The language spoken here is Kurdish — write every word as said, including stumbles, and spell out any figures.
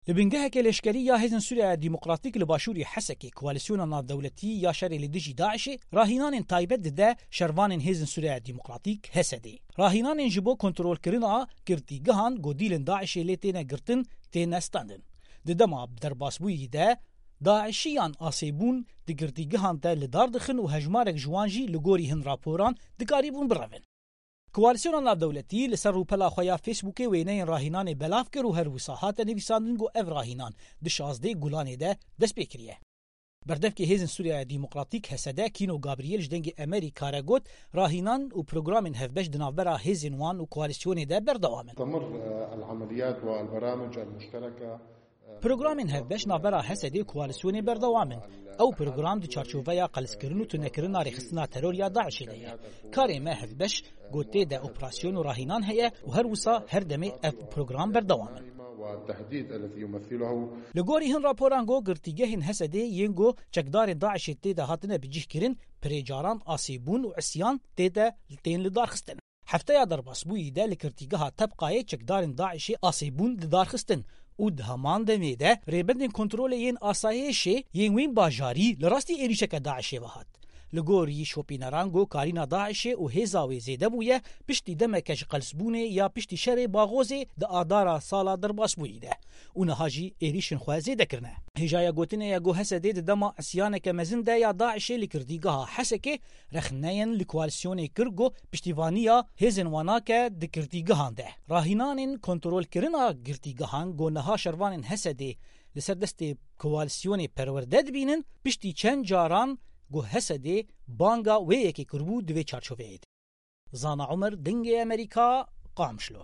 Li bingeheke leşkerî ya Hêzên Sûriya Demokratîk li başûrê Hesekê Koalîsyona Navdewletî ya Şerê li Dijî DAIŞê rahînanên taybet dide şervanên Hêzên Sûriya Demokratîk, H S D'ê. Rahînanên ji bo kontrolkirina girtîgehan ku dîlên DAIŞê lê têne girtin, têne standin. Di dema derbasbûyî de, DAIŞiyan asê bûn di girtîgehan de li dar dixin û hejmarek ji wan jî li gorî hin raporan dikarîbûn birevin. Koalîsyona Navdewletî li ser rûpela xwe ya Facebookê wêneyên rahînanê belav kir û her wisa hate nivîsandin ku ev rahînan di şazdeh Gulanê de dest pê kiriye. Berdevkê Hêzên Sûriya Demokratîk, H S D, Kîno Gabriel ji Dengê Emerîka re got, rahînan û programên hevbeş di navbera hêzên wan û koalîsyonê de berdewam in. تستمر العمليات والبرامج المشتركة. Programên hevbeş navbera H S D û koalîsyonê berdewam in. Ew program di çarçoveya qelizkirin û tunekirina rêxistina teror ya DAIŞê de ye. Karê me hevbeş ku tê de operasyon û rahînan heye û her wisa her demê ev program berdewam in. والتهديد الذي يمثله. Li gorî hin raporan ku girtîgehên H S D'ê yên ku çekdarên DAIŞê tê de hatine bicihkirin, pirê caran asê bûn û isyan tê de tên li dar xistin. Hefteya derbasbûyî de li girtîgeha Tebqayê çekdarên DAIŞê asê bûn di dar xistin û di heman demê de rêbendên kontrolê yên asayişê yên wî bajarî li rastî êrîşeke DAIŞê ve hat. Li gorî şopîneran ku karîna DAIŞê û hêza wê zêde bûye piştî demeke ji qelsbûnê ya piştî şerê Baxozê di adara sala derbasbûyî de û niha jî êrîşên xwe zêde kirine. Hêjaya gotinê ye ku H S D'ê di dema isyaneke mezin de ya DAIŞê li girtîgeha Hesekê rexneyên li koalîsyonê kir ku piştîvaniya hêzên wan nake di girtîgehan de. Rahînanên kontrolkirina girtîgehan ku niha şervanên H S D'ê li ser destê koalîsyonê perwerde dibînin, piştî çend caran ku H S D'ê banga wê yekê kiribû di vê çarçoveyê de. Zana Umer, Dengê Emerîka, Qamişlo.